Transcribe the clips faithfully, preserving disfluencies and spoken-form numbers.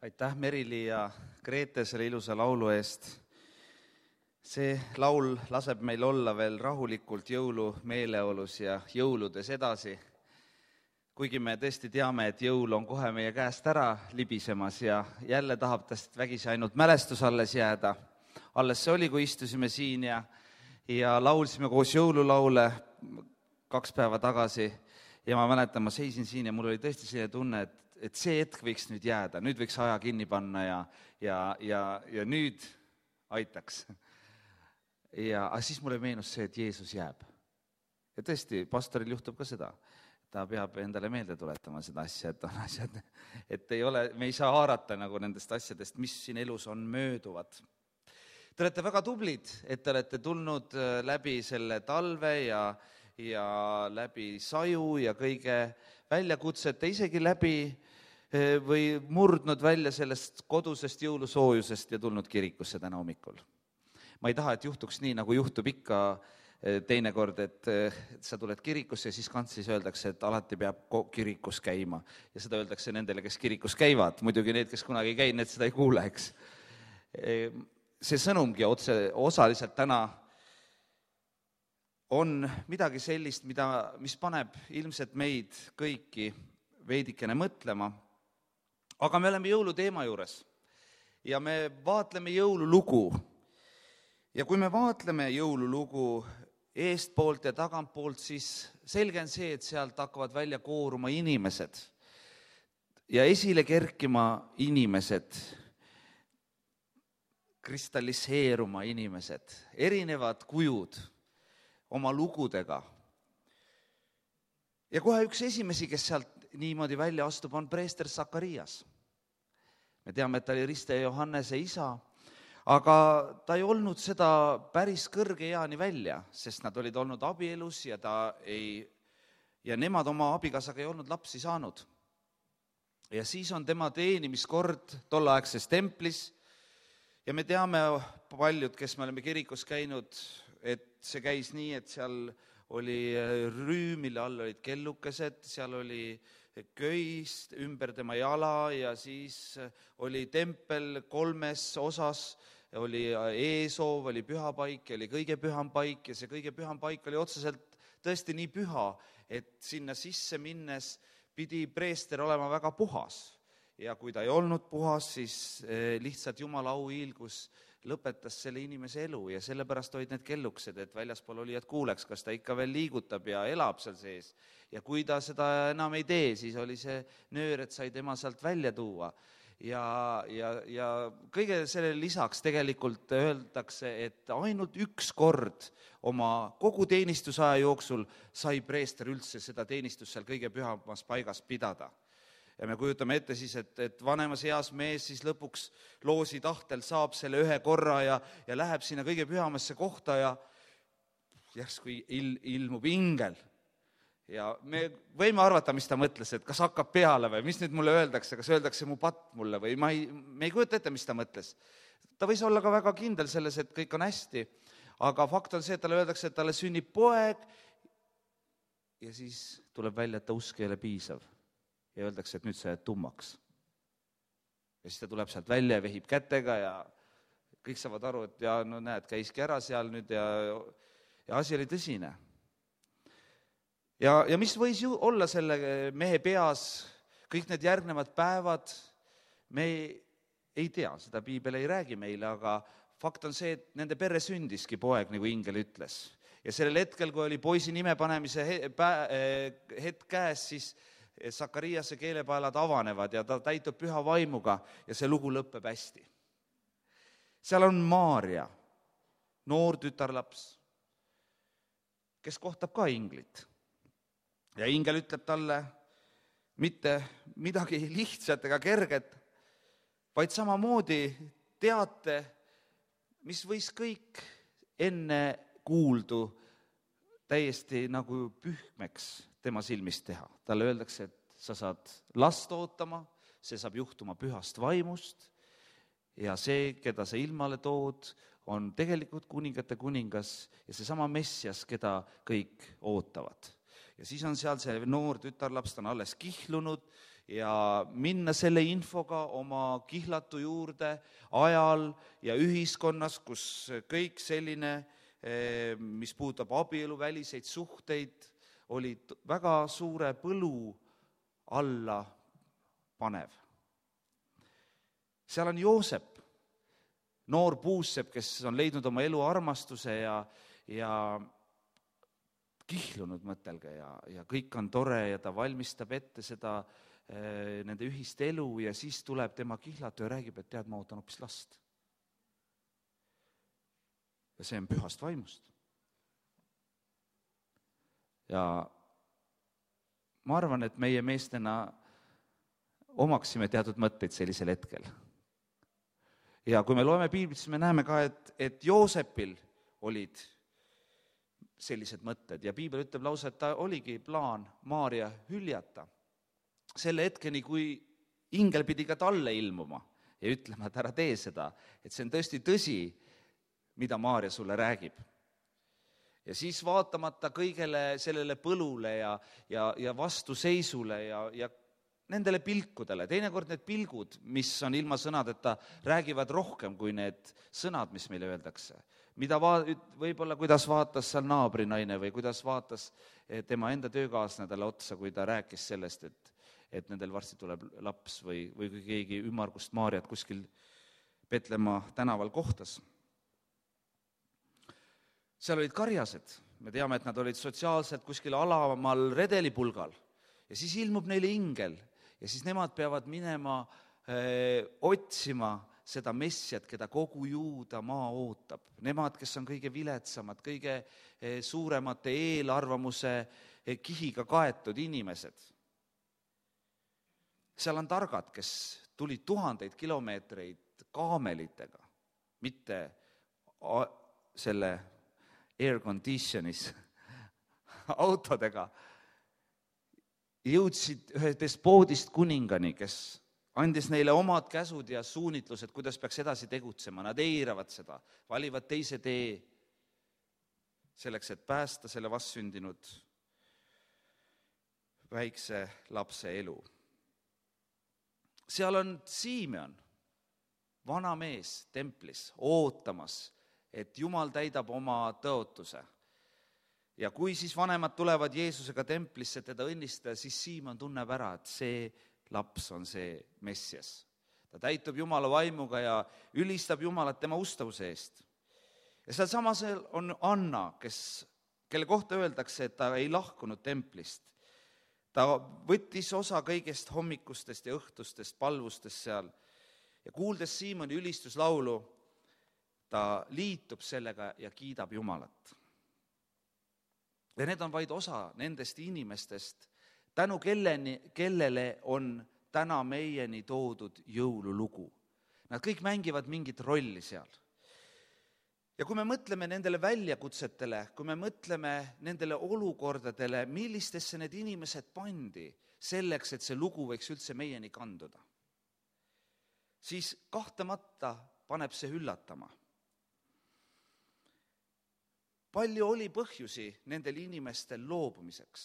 Aitäh Merili ja Grete selle ilusa laulu eest. See laul laseb meil olla veel rahulikult jõulumeeleolus ja jõuludes edasi. Kuigi me tõesti teame, et jõul on kohe meie käest ära libisemas ja jälle tahab tast vägisi ainult mälestus alles jääda. Alles see oli, kui istusime siin ja, ja laulsime koos jõululaule kaks päeva tagasi. Ja ma mäletan, ma seisin siin ja mul oli tõesti selline tunne, et, et see hetk võiks nüüd jääda, nüüd võiks aja kinni panna ja, ja, ja, ja nüüd aitaks. Ja aga siis mulle meenus see, et Jeesus jääb. Ja tõesti, pastoril juhtub ka seda. Ta peab endale meelde tuletama seda asja, et on asjad, et ei ole, me ei saa haarata nagu nendest asjadest, mis siin elus on mööduvad. Te olete väga tublid, et te olete tulnud läbi selle talve ja ja läbi saju ja kõige väljakutsete, isegi läbi või murdnud välja sellest kodusest jõulusoojusest ja tulnud kirikusse täna hommikul. Ma ei taha, et juhtuks nii, nagu juhtub ikka teinekord, et sa tuled kirikusse ja siis kantsis öeldakse, et alati peab kirikus käima. Ja seda öeldakse nendele, kes kirikus käivad. Muidugi need, kes kunagi ei käi, need seda ei kuule, eks. See sõnumgi otse, osaliselt täna on midagi sellist, mida, mis paneb ilmselt meid kõiki veidikene mõtlema. Aga me oleme jõuluteema juures ja me vaatleme jõululugu. Ja kui me vaatleme jõululugu eestpoolt ja tagantpoolt, siis selge on see, et sealt hakkavad välja kooruma inimesed ja esile kerkima inimesed, kristalliseeruma inimesed, erinevad kujud oma lugudega. Ja kohe üks esimesi, kes sealt niimoodi välja astub, on preester Sakarias. Me teame, et ta oli Riste ja Johannese isa, aga ta ei olnud seda päris kõrge eani välja, sest nad olid olnud abielus ja, ta ei, ja nemad oma abikaasaga ei olnud lapsi saanud. Ja siis on tema teenimiskord tolleaegses templis ja me teame paljud, kes me oleme kirikus käinud, et see käis nii, et seal oli rüü, mille all olid kellukesed, seal oli köis ümber tema jala ja siis oli tempel kolmes osas, oli eesoov, oli pühapaik ja oli kõige püham paik ja see kõige püham paik oli otseselt tõesti nii püha, et sinna sisse minnes pidi preester olema väga puhas. Ja kui ta ei olnud puhas, siis lihtsalt Jumala auhiilgus lõpetas selle inimese elu ja sellepärast olid need kelluksed, et väljaspool olijad kuuleks, kas ta ikka veel liigutab ja elab seal sees. Ja kui ta seda enam ei tee, siis oli see nöör, et sai tema sealt välja tuua. Ja, ja, ja kõige selle lisaks tegelikult öeldakse, et ainult üks kord oma kogu teenistusaja jooksul sai preester üldse seda teenistust seal kõige pühamas paigas pidada. Ja me kujutame ette siis, et, et vanemas eas mees siis lõpuks loosi tahtel saab selle ühe korra ja, ja läheb sinna kõige pühamasse kohta ja järsku il, ilmub ingel. Ja me võime arvata, mis ta mõtles, et kas hakkab peale või mis nüüd mulle öeldakse, kas öeldakse mu patt mulle või ma ei, me ei kujuta ette, mis ta mõtles. Ta võis olla ka väga kindel selles, et kõik on hästi, aga fakt on see, et talle öeldakse, et talle sünnib poeg ja siis tuleb välja, et ta usk ei ole piisav. Ja öeldakse, et nüüd sa jääd tummaks. Ja siis ta tuleb sealt välja ja vehib kätega ja kõik saavad aru, et ja, no näed, käiski ära seal nüüd ja, ja asi oli tõsine. Ja, ja mis võis ju olla selle mehe peas kõik need järgnevad päevad, me ei, ei tea, seda piibel ei räägi meile, aga fakt on see, et nende perre sündiski poeg, nagu ingel ütles. Ja sellel hetkel, kui oli poisi nime panemise hetk käes, siis Sakariase keelepaelad avanevad ja ta täitub püha vaimuga ja see lugu lõppeb hästi. Seal on Maaria, noor tütarlaps, kes kohtab ka inglit. Ja ingel ütleb talle mitte midagi lihtsat ega kerget, vaid samamoodi teate, mis võis kõik enne kuuldu täiesti nagu pühmeks tema silmist teha. Talle öeldakse, et sa saad last ootama, see saab juhtuma pühast vaimust ja see, keda sa ilmale tood, on tegelikult kuningate kuningas ja see sama Messias, keda kõik ootavad. ja siis on seal see noor tütarlaps, ta on alles kihlunud ja minna selle infoga oma kihlatu juurde ajal ja ühiskonnas, kus kõik selline, mis puudutab abielu väliseid suhteid, oli väga suure põlu alla panev. Seal on Joosep, noor puussepp, kes on leidnud oma elu armastuse ja, ja kihlunud, mõtelge, ja, ja kõik on tore ja ta valmistab ette seda eh, nende ühist elu ja siis tuleb tema kihlatu ja räägib, et tead, ma ootan hoopis last. Ja see on pühast vaimust. Ja ma arvan, et meie meestena omaksime teatud mõtteid sellisel hetkel. Ja kui me loeme piiblit, siis me näeme ka, et, et Joosepil olid sellised mõtted ja piibel ütleb lausa, et ta oligi plaan Maaria hüljata. Selle hetkeni, kui ingel pidi ka talle ilmuma ja ütlema, et ära tee seda, et see on tõesti tõsi, mida Maaria sulle räägib. Ja siis vaatamata kõigele sellele põlule ja, ja, ja vastuseisule ja, ja nendele pilkudele, teinekord need pilgud, mis on ilma sõnadeta, räägivad rohkem kui need sõnad, mis meile öeldakse. Mida va-, võib-olla kuidas vaatas seal naabrinaine või kuidas vaatas tema enda töökaaslane talle otsa, kui ta rääkis sellest, et, et nendel varsti tuleb laps või, või kui keegi ümmargust Maariat kuskil Petlemma tänaval kohtas. Seal olid karjased, me teame, et nad olid sotsiaalselt kuskil alamal redelipulgal ja siis ilmub neile ingel ja siis nemad peavad minema öö, otsima seda messiat, keda kogu Juuda maa ootab. Nemad, kes on kõige viletsamad, kõige öö, suuremate eelarvamuse öö, kihiga kaetud inimesed. Seal on targad, kes tulid tuhandeid kilomeetreid kaamelitega, mitte a- selle air conditionis autodega, jõudsid ühe despoodist kuningani, kes andis neile omad käsud ja suunitlused, kuidas peaks edasi tegutsema. Nad eiravad seda, valivad teise tee selleks, et päästa selle vastsündinud väikse lapse elu. Seal on Simeon, vana mees templis, ootamas, et Jumal täidab oma tõotuse. Ja kui siis vanemad tulevad Jeesusega templisse teda õnnistada, siis Siimon tunneb ära, et see laps on see Messias. Ta täitub Jumala vaimuga ja ülistab Jumalat tema ustavuse eest. Ja seal samas on Anna, kes, kelle kohta öeldakse, et ta ei lahkunud templist. Ta võttis osa kõigest hommikustest ja õhtustest palvustest seal ja kuuldes Siimoni ülistuslaulu, ta liitub sellega ja kiidab Jumalat. Ja need on vaid osa nendest inimestest, tänu kelleni, kellele on täna meieni toodud jõululugu. Nad kõik mängivad mingit rolli seal. Ja kui me mõtleme nendele väljakutsetele, kui me mõtleme nendele olukordadele, millistesse need inimesed pandi selleks, et see lugu võiks üldse meieni kanduda, siis kahtlemata paneb see üllatama. Palju oli põhjusi nendel inimestel loobumiseks.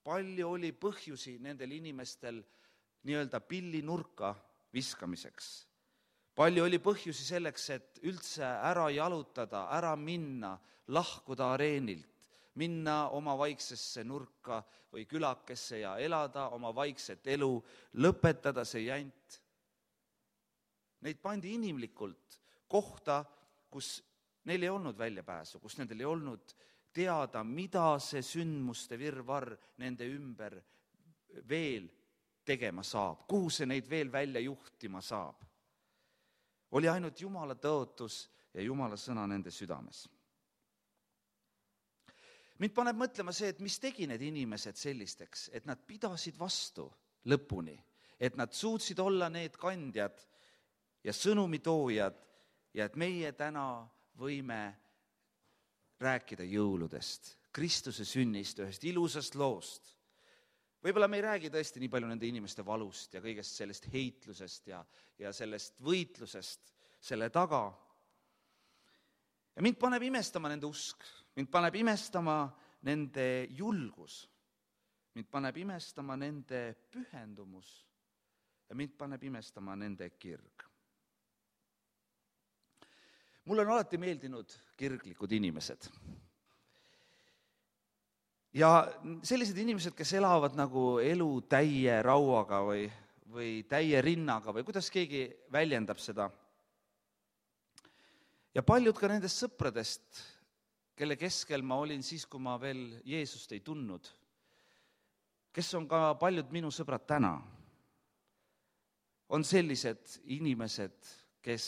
Palju oli põhjusi nendel inimestel nii-öelda pillinurka viskamiseks. Palju oli põhjusi selleks, et üldse ära jalutada, ära minna, lahkuda areenilt, minna oma vaiksesse nurka või külakesse ja elada oma vaikset elu, lõpetada see jant. Neid pandi inimlikult kohta, kus neil ei olnud väljapääsu, kus nendel ei olnud teada, mida see sündmuste virvarr nende ümber veel tegema saab, kuhu see neid veel välja juhtima saab. Oli ainult Jumala tõotus ja Jumala sõna nende südames. Mind paneb mõtlema see, et mis tegi need inimesed sellisteks, et nad pidasid vastu lõpuni, et nad suutsid olla need kandjad ja sõnumitoojad ja et meie täna võime rääkida jõuludest, Kristuse sünnist, ühest ilusast loost. Võib-olla me ei räägi tõesti nii palju nende inimeste valust ja kõigest sellest heitlusest ja, ja sellest võitlusest selle taga. Ja mind paneb imestama nende usk, mind paneb imestama nende julgus. mind paneb imestama nende pühendumus ja mind paneb imestama nende kirg. Mulle on alati meeldinud kirglikud inimesed. Ja sellised inimesed, kes elavad nagu elu täie rauaga või, või täie rinnaga või kuidas keegi väljendab seda. Ja paljud ka nendest sõpradest, kelle keskel ma olin siis, kui ma veel Jeesust ei tundnud, kes on ka paljud minu sõbrad täna, on sellised inimesed, kes,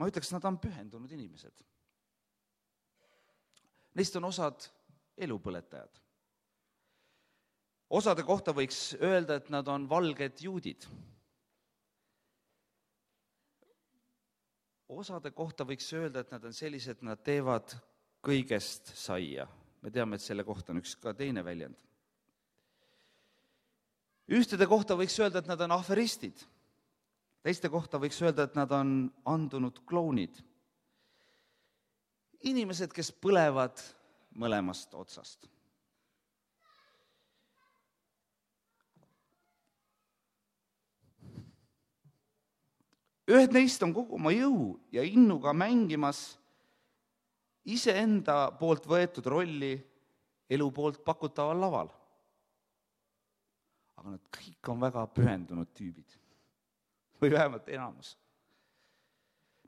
ma ütleks, nad on pühendunud inimesed. Neist on osad elupõletajad. Osade kohta võiks öelda, et nad on valged juudid. Osade kohta võiks öelda, et nad on sellised, nad teevad kõigest saia. Me teame, et selle kohta on üks ka teine väljend. Ühtede kohta võiks öelda, et nad on aferistid. Teiste kohta võiks öelda, et nad on andunud klounid. Inimesed, kes põlevad mõlemast otsast. Ühed neist on kogu oma jõu ja innuga mängimas iseenda poolt võetud rolli elu poolt pakutaval laval. Aga nad kõik on väga pühendunud tüübid. Või vähemalt enamus.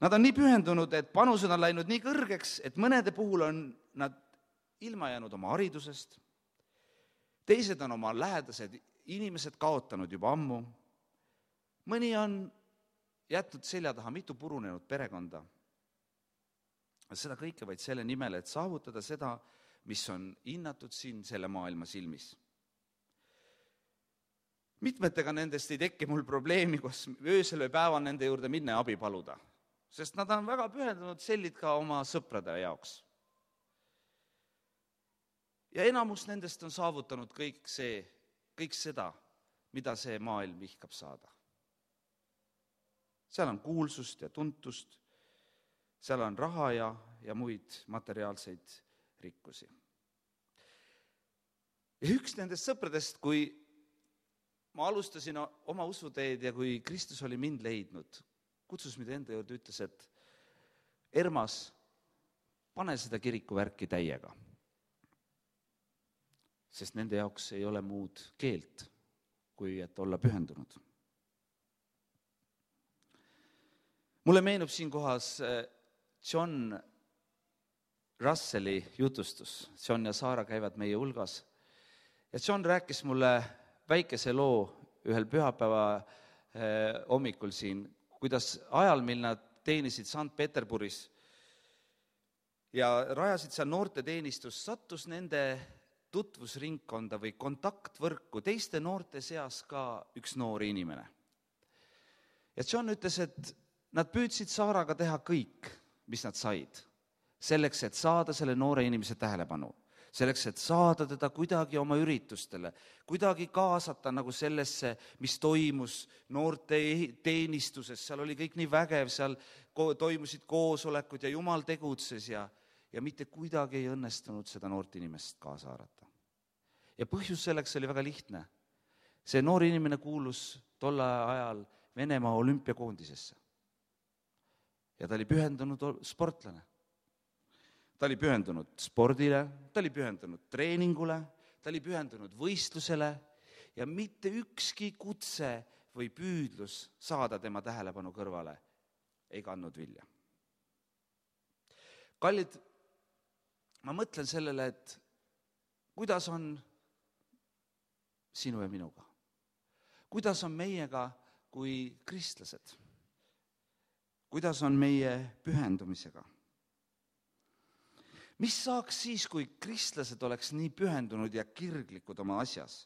Nad on nii pühendunud, et panused on läinud nii kõrgeks, et mõnede puhul on nad ilma jäänud oma haridusest. Teised on oma lähedased inimesed kaotanud juba ammu. Mõni on jätnud selja taha mitu purunenud perekonda. Seda kõike vaid selle nimel, et saavutada seda, mis on hinnatud siin selle maailma silmis. Mitmetega nendest ei tekke mul probleemi, kus öösel või päeval nende juurde minna ja abi paluda, sest nad on väga pühendunud sellid ka oma sõprade jaoks. Ja enamus nendest on saavutanud kõik see, kõik seda, mida see maailm vihkab saada. Seal on kuulsust ja tuntust, seal on raha ja, ja muid materiaalseid rikkusi. Ja üks nendest sõpradest, kui ma alustasin oma usuteed ja kui Kristus oli mind leidnud, kutsus mind enda juurde, ütles, et Ermas, pane seda kirikuvärki täiega. Sest nende jaoks ei ole muud keelt, kui et olla pühendunud. Mulle meenub siin kohas John Russelli jutustus. John ja Saara käivad meie hulgas. Ja John rääkis mulle väikese loo ühel pühapäeva hommikul siin, kuidas ajal, mil nad teenisid Sankt Peterburis ja rajasid seal noorteteenistus, sattus nende tutvusringkonda või kontaktvõrku teiste noorte seas ka üks noor inimene. Ja John ütles, et nad püüdsid Saaraga teha kõik, mis nad said, selleks, et saada selle noore inimese tähelepanu, selleks, et saada teda kuidagi oma üritustele, kuidagi kaasata nagu sellesse, mis toimus noorte teenistuses, seal oli kõik nii vägev, seal toimusid koosolekud ja Jumal tegutses ja, ja mitte kuidagi ei õnnestunud seda noort inimest kaasa haarata. Ja põhjus selleks oli väga lihtne. See noor inimene kuulus tolle ajal Venemaa olümpiakoondisesse. Ja ta oli pühendunud sportlane. Ta oli pühendunud spordile, ta oli pühendunud treeningule, ta oli pühendunud võistlusele ja mitte ükski kutse või püüdlus saada tema tähelepanu kõrvale ei kandnud vilja. Kallid, ma mõtlen sellele, et kuidas on sinu ja minuga? Kuidas on meiega kui kristlased? Kuidas on meie pühendumisega? Mis saaks siis, kui kristlased oleks nii pühendunud ja kirglikud oma asjas,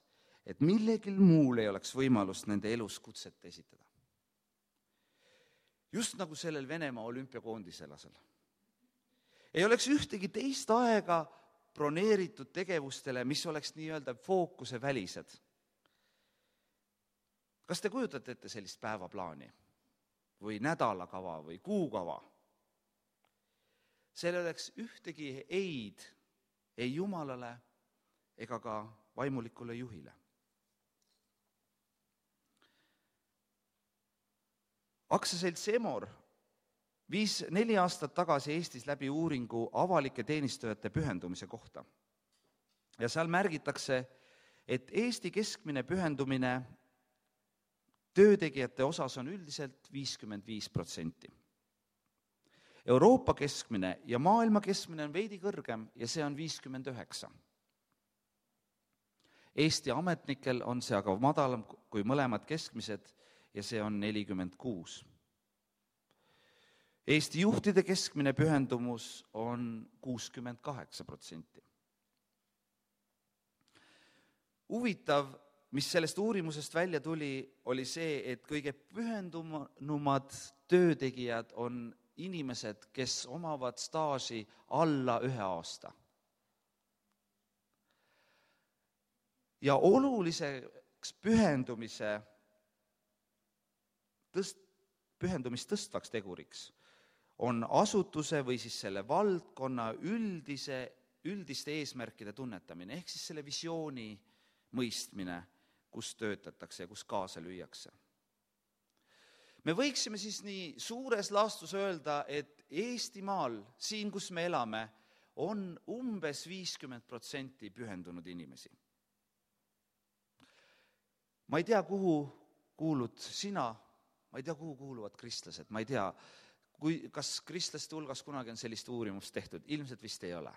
et millegil muul ei oleks võimalust nende elus kutset esitada? Just nagu sellel Venemaa olümpiakoondiselasel. Ei oleks ühtegi teist aega broneeritud tegevustele, mis oleks nii-öelda fookuse välised. Kas te kujutate ette sellist päevaplaani? Või nädalakava või kuukava. Seal oleks ühtegi eid ei Jumalale ega ka vaimulikule juhile. aktsiaselts Emor viis neli aastat tagasi Eestis läbi uuringu avalike teenistujate pühendumise kohta. Ja seal märgitakse, et Eesti keskmine pühendumine töötegijate osas on üldiselt viiskümmend viis protsenti. Euroopa keskmine ja maailma keskmine on veidi kõrgem ja see on viiskümmend üheksa. Eesti ametnikel on see aga madalam kui mõlemad keskmised ja see on nelikümmend kuus. Eesti juhtide keskmine pühendumus on kuuskümmend kaheksa protsenti. Huvitav, mis sellest uurimusest välja tuli, oli see, et kõige pühendunumad töötegijad on inimesed, kes omavad staaži alla ühe aasta. Ja oluliseks pühendumise tõst, pühendumist tõstvaks teguriks on asutuse või siis selle valdkonna üldise, üldiste eesmärkide tunnetamine, ehk siis selle visiooni mõistmine, kus töötatakse ja kus kaasa lüüakse. Me võiksime siis nii suures laastus öelda, et Eestimaal, siin kus me elame, on umbes viiskümmend protsenti pühendunud inimesi. Ma ei tea, kuhu kuulud sina, ma ei tea, kuhu kuuluvad kristlased, ma ei tea, kui, kas kristlaste hulgas kunagi on sellist uurimust tehtud, ilmselt vist ei ole.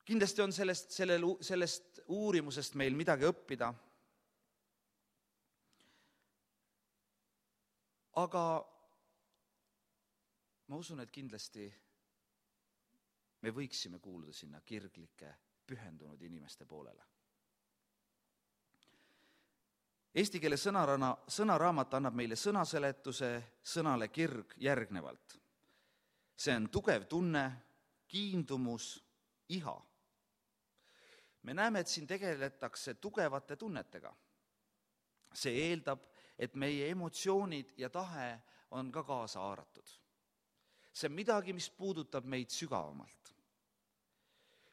Kindlasti on sellest, sellel, sellest uurimusest meil midagi õppida, aga ma usun, et kindlasti me võiksime kuuluda sinna kirglike, pühendunud inimeste poolele. Eesti keele sõnarana, sõnaraamat annab meile sõnaseletuse sõnale kirg järgnevalt. See on tugev tunne, kiindumus, iha. Me näeme, et siin tegeletakse tugevate tunnetega. See eeldab, et meie emotsioonid ja tahe on ka kaasa haaratud. See on midagi, mis puudutab meid sügavamalt.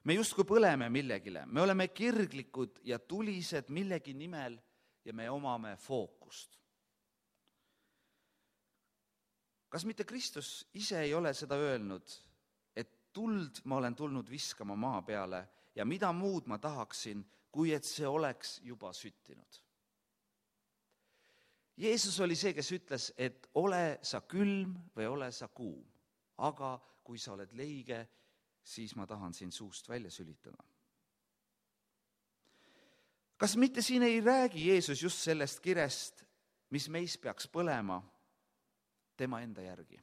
Me justkui põleme millegile, me oleme kirglikud ja tulised millegi nimel ja me omame fookust. Kas mitte Kristus ise ei ole seda öelnud, et tuld ma olen tulnud viskama maa peale ja mida muud ma tahaksin, kui et see oleks juba süttinud? Jeesus oli see, kes ütles, et ole sa külm või ole sa kuum, aga kui sa oled leige, siis ma tahan sind suust välja sülitada. Kas mitte siin ei räägi Jeesus just sellest kirest, mis meis peaks põlema tema enda järgi?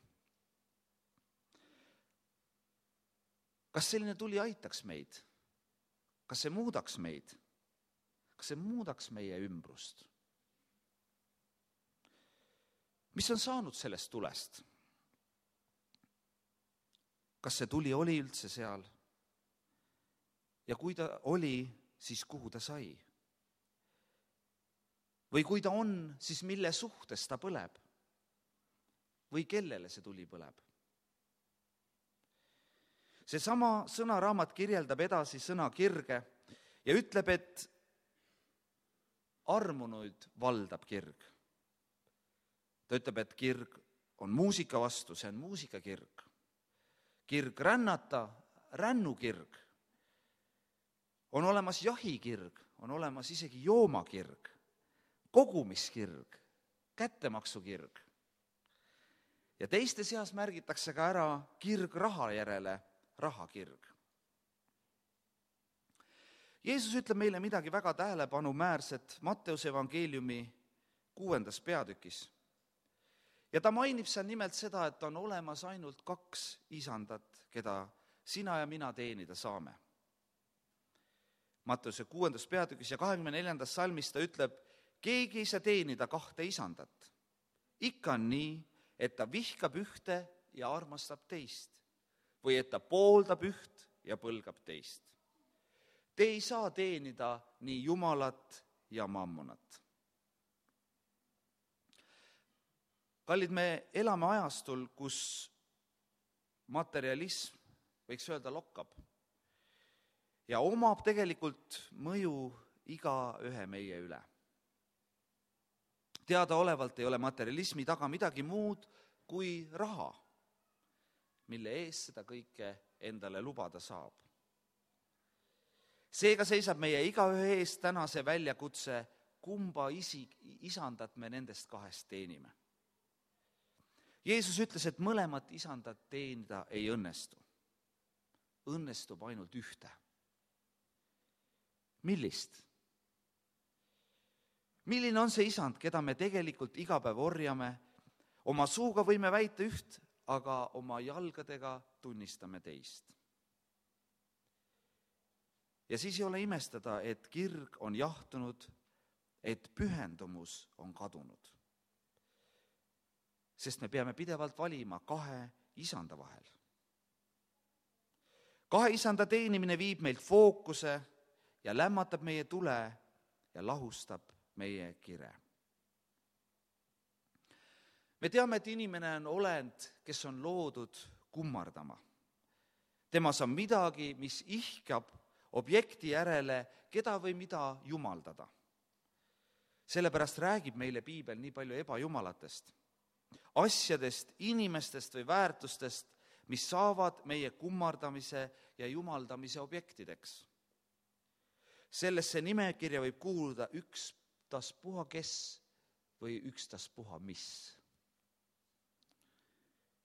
Kas selline tuli aitaks meid? Kas see muudaks meid? Kas see muudaks meie ümbrust? Mis on saanud sellest tulest? Kas see tuli oli üldse seal? Ja kui ta oli, siis kuhu ta sai? Või kui ta on, siis mille suhtes ta põleb? Või kellele see tuli põleb? See sama sõnaraamat kirjeldab edasi sõna kirge ja ütleb, et armunuid valdab kirg. Ta ütleb, et kirg on muusika vastu, see on muusikakirg. Kirg rännata, rännukirg. On olemas jahikirg, on olemas isegi joomakirg, kogumiskirg, kättemaksukirg. Ja teiste seas märgitakse ka ära kirg raha järele, rahakirg. Jeesus ütleb meile midagi väga tähelepanumäärset Matteuse evangeeliumi kuuendas peatükis. Ja ta mainib seal nimelt seda, et on olemas ainult kaks isandat, keda sina ja mina teenida saame. Matteuse kuuendas peatükis ja kahekümne neljandas salmis ta ütleb, keegi ei saa teenida kahte isandat. Ikka on nii, et ta vihkab ühte ja armastab teist. Või et ta pooldab üht ja põlgab teist. Te ei saa teenida nii Jumalat ja mammonat. Kallid, me elame ajastul, kus materialism, võiks öelda, lokkab. ja omab tegelikult mõju igaühe meie üle. Teadaolevalt ei ole materialismi taga midagi muud kui raha, mille eest seda kõike endale lubada saab. Seega seisab meie igaühe eest täna see väljakutse, kumba isi, isandat me nendest kahest teenime. Jeesus ütles, et mõlemat isandat teenida ei õnnestu. Õnnestub ainult ühte. Millist? Milline on see isand, keda me tegelikult iga päev orjame? Oma suuga võime väita üht, aga oma jalgadega tunnistame teist. Ja siis ei ole imestada, et kirg on jahtunud, et pühendumus on kadunud. Sest me peame pidevalt valima kahe isanda vahel. Kahe isanda teenimine viib meilt fookuse ja lämmatab meie tule ja lahustab meie kire. Me teame, et inimene on olend, kes on loodud kummardama. Temas on midagi, mis ihkab objekti järele, keda või mida jumaldada. Sellepärast räägib meile piibel nii palju ebajumalatest, asjadest, inimestest või väärtustest, mis saavad meie kummardamise ja jumaldamise objektideks. Sellesse nimekirja võib kuuluda ükstaspuha kes või ükstaspuha mis.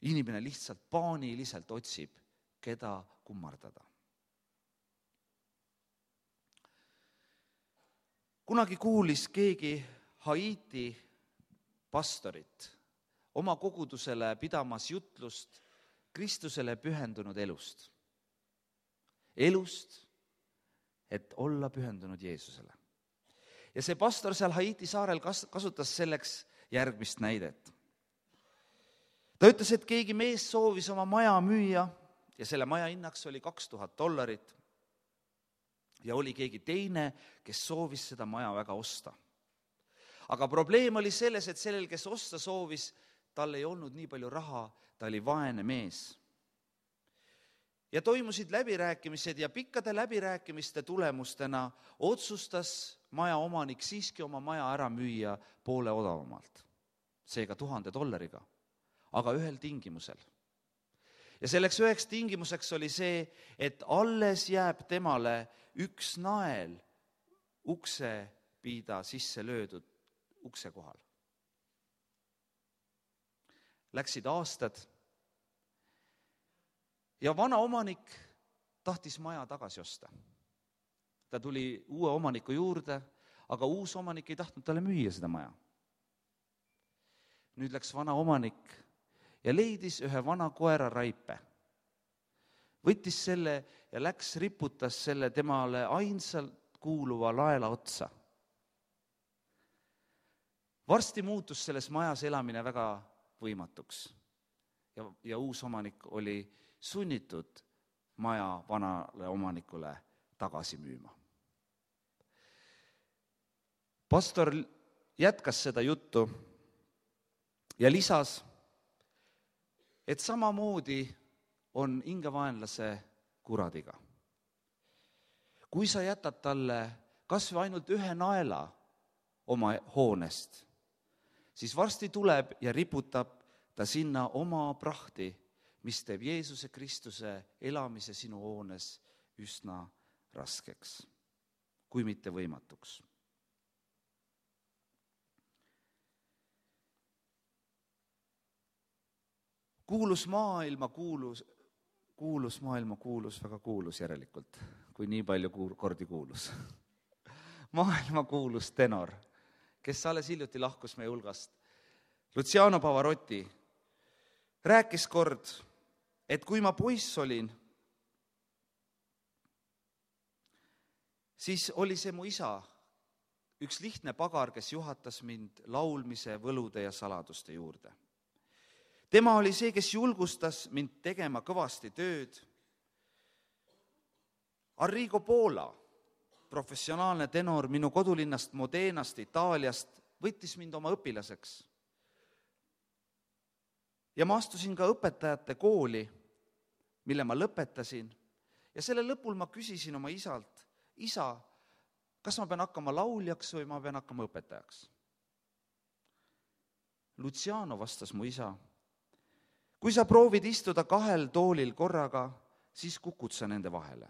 Inimene lihtsalt paaniliselt otsib, keda kummardada. Kunagi kuulis keegi Haiti pastorit oma kogudusele pidamas jutlust Kristusele pühendunud elust. Elust, et olla pühendunud Jeesusele. Ja see pastor seal Haiti saarel kasutas selleks järgmist näidet. Ta ütles, et keegi mees soovis oma maja müüa ja selle maja hinnaks oli kaks tuhat dollarit. Ja oli keegi teine, kes soovis seda maja väga osta. Aga probleem oli selles, et sellel, kes osta soovis, tal ei olnud nii palju raha, ta oli vaene mees. Ja toimusid läbirääkimised ja pikkade läbirääkimiste tulemustena otsustas maja omanik siiski oma maja ära müüa poole odavamalt. Seega tuhande dollariga, aga ühel tingimusel. Ja selleks üheks tingimuseks oli see, et alles jääb temale üks nael ukse piida sisse löödud ukse kohal. Läksid aastad ja vana omanik tahtis maja tagasi osta. Ta tuli uue omaniku juurde, aga uus omanik ei tahtnud talle müüa seda maja. Nüüd läks vana omanik ja leidis ühe vana koera raipe. Võttis selle ja läks riputas selle temale ainsalt kuuluva laela otsa. Varsti muutus selles majas elamine väga võimatuks ja, ja uus omanik oli sunnitud maja vanale omanikule tagasi müüma. Pastor jätkas seda juttu ja lisas, et samamoodi on hingevaenlase kuradiga. Kui sa jätad talle kas või ainult ühe naela oma hoonest, siis varsti tuleb ja riputab ta sinna oma prahti, mis teeb Jeesuse Kristuse elamise sinu hoones üsna raskeks, kui mitte võimatuks. Kuulus maailma kuulus, kuulus maailma kuulus, väga kuulus järelikult, kui nii palju kordi kuulus. Maailma kuulus tenor, kes alles hiljuti lahkus meie hulgast, Luciano Pavarotti, rääkis kord, et kui ma poiss olin, siis oli see mu isa, üks lihtne pagar, kes juhatas mind laulmise, võlude ja saladuste juurde. Tema oli see, kes julgustas mind tegema kõvasti tööd. Arrigo Pola, professionaalne tenor minu kodulinnast Modenast, Itaaliast, võttis mind oma õpilaseks. Ja ma astusin ka õpetajate kooli, mille ma lõpetasin, ja ja selle lõpul ma küsisin oma isalt, isa, kas ma pean hakkama lauljaks või ma pean hakkama õpetajaks? Luciano, vastas mu isa, kui sa proovid istuda kahel toolil korraga, siis kukud sa nende vahele.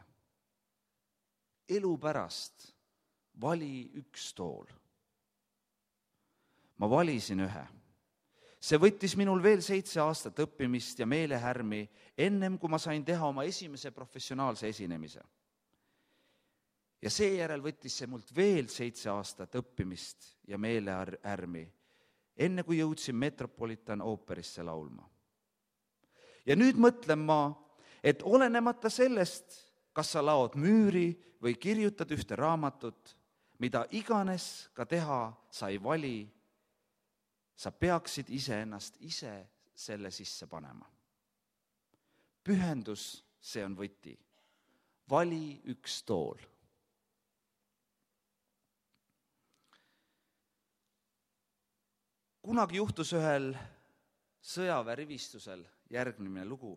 Elu pärast vali üks tool. Ma valisin ühe. See võttis minul veel seitse aastat õppimist ja meelehärmi, ennem kui ma sain teha oma esimese professionaalse esinemise. Ja seejärel võttis see mult veel seitse aastat õppimist ja meelehärmi, enne kui jõudsin Metropolitan ooperisse laulma. Ja nüüd mõtlen ma, et olenemata sellest, kas sa laod müüri või kirjutad ühte raamatut, mida iganes ka teha sa ei vali, sa peaksid iseennast ise selle sisse panema. Pühendus, see on võti. Vali üks tool. Kunagi juhtus ühel sõjaväerivistusel järgmine lugu.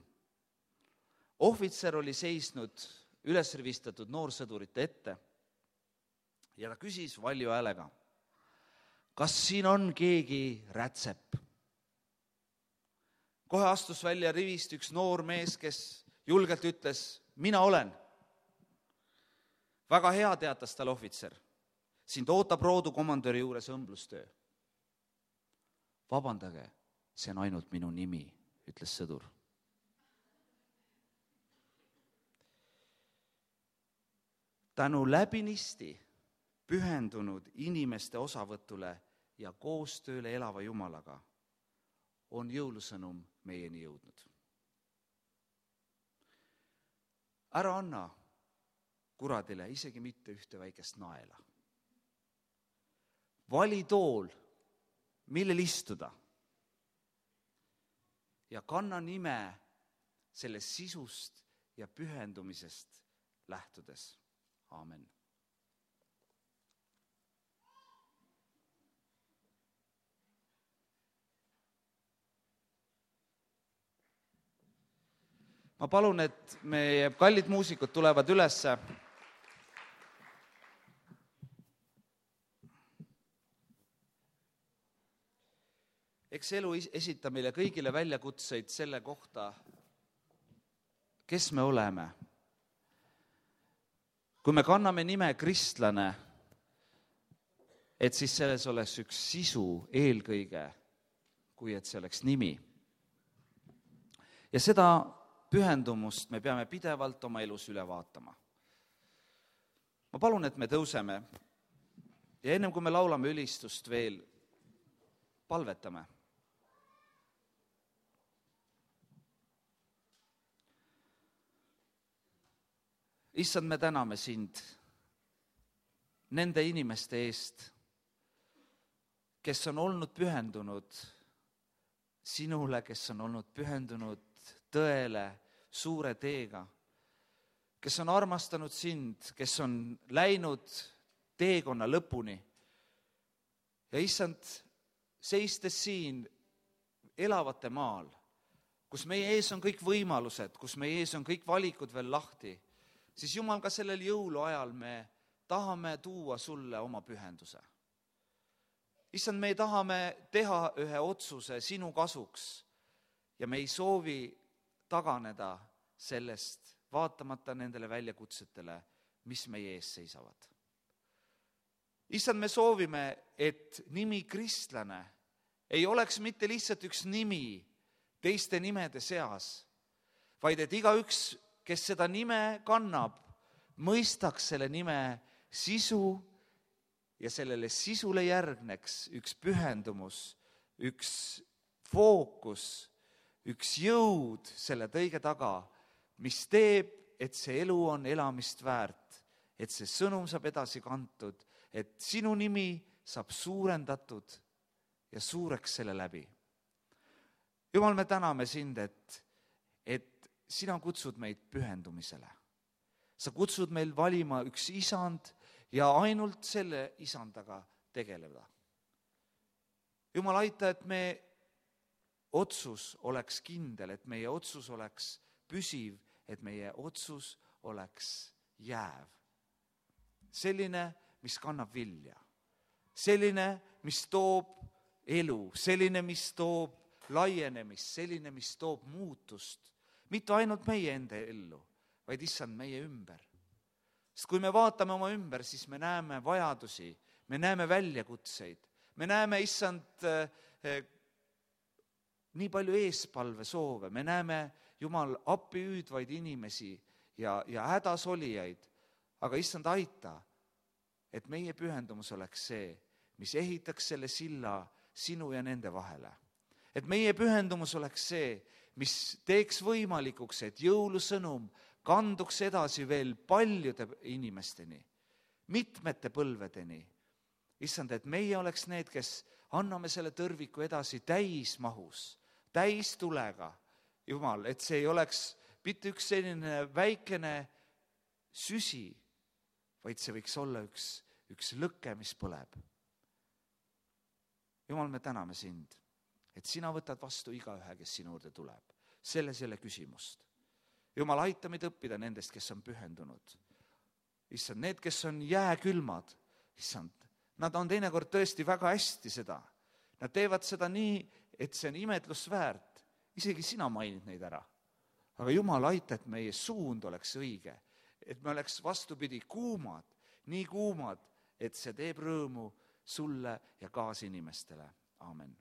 Ohvitser oli seisnud üles rivistatud noorsõdurite ette ja ta küsis valju häälega, kas siin on keegi rätsep? Kohe astus välja rivist üks noor mees, kes julgelt ütles, mina olen. Väga hea, teatas tal ohvitser. Sind ootab roodu komandöri juures õmblustöö. Vabandage, see on ainult minu nimi, ütles sõdur. Tänu läbinisti pühendunud inimeste osavõtule ja koostööle elava Jumalaga on jõulusõnum meieni jõudnud. Ära anna kuradile isegi mitte ühte väikest naela. Vali tool, millel istuda ja kanna nime sellest sisust ja pühendumisest lähtudes. Aamen. Ma palun, et meie kallid muusikud tulevad ülesse. Eks elu esitab meile kõigile väljakutseid selle kohta, kes me oleme. Kui me kanname nime kristlane, et siis selles oleks üks sisu eelkõige, kui et see oleks nimi. Ja seda pühendumust me peame pidevalt oma elus üle vaatama. Ma palun, et me tõuseme ja ennem kui me laulame ülistust veel, palvetame. Issand, me täname sind nende inimeste eest, kes on olnud pühendunud sinule, kes on olnud pühendunud tõele, suure teega, kes on armastanud sind, kes on läinud teekonna lõpuni. Ja issand, seistes siin elavate maal, kus meie ees on kõik võimalused, kus meie ees on kõik valikud veel lahti, siis Jumal, ka sellel jõuluajal me tahame tuua sulle oma pühenduse. Issand, me tahame teha ühe otsuse sinu kasuks ja me ei soovi taganeda sellest, vaatamata nendele väljakutsetele, mis meie ees seisavad. Issand, me soovime, et nimi kristlane ei oleks mitte lihtsalt üks nimi teiste nimede seas, vaid et igaüks, kes seda nime kannab, mõistaks selle nime sisu ja sellele sisule järgneks üks pühendumus, üks fookus, üks jõud selle tõige taga, mis teeb, et see elu on elamist väärt, et see sõnum saab edasi kantud, et sinu nimi saab suurendatud ja suureks selle läbi. Jumal, me täname sind, et, et sina kutsud meid pühendumisele. Sa kutsud meil valima üks isand ja ainult selle isandaga tegeleda. Jumal, aita, et me otsus oleks kindel, et meie otsus oleks püsiv, et meie otsus oleks jääv. Selline, mis kannab vilja. Selline, mis toob elu. Selline, mis toob laienemist. Selline, mis toob muutust. Mitte ainult meie enda ellu, vaid issand meie ümber. Sest kui me vaatame oma ümber, siis me näeme vajadusi, me näeme väljakutseid, me näeme issand eh, nii palju eespalve soove, me näeme Jumal appi hüüdvaid inimesi ja, ja hädas olijaid, aga issand aita, et meie pühendumus oleks see, mis ehitaks selle silla sinu ja nende vahele. Et meie pühendumus oleks see, mis teeks võimalikuks, et jõulusõnum kanduks edasi veel paljude inimesteni, mitmete põlvedeni. Issand, et meie oleks need, kes anname selle tõrviku edasi täismahus, täistulega, Jumal, et see ei oleks mitte üks selline väikene süsi, vaid see võiks olla üks, üks lõke, mis põleb. Jumal, me täname sind, et sina võtad vastu igaühe, kes sinu juurde tuleb. Selles ei ole küsimust. Jumal, aita meid õppida nendest, kes on pühendunud. Issand, need, kes on jääkülmad, issand, nad on teinekord tõesti väga hästi seda. Nad teevad seda nii, et see on imetlusväärt. Isegi sina mainid neid ära. Aga Jumal, aita, et meie suund oleks õige. Et me oleks vastupidi kuumad, nii kuumad, et see teeb rõõmu sulle ja kaasinimestele. Aamen.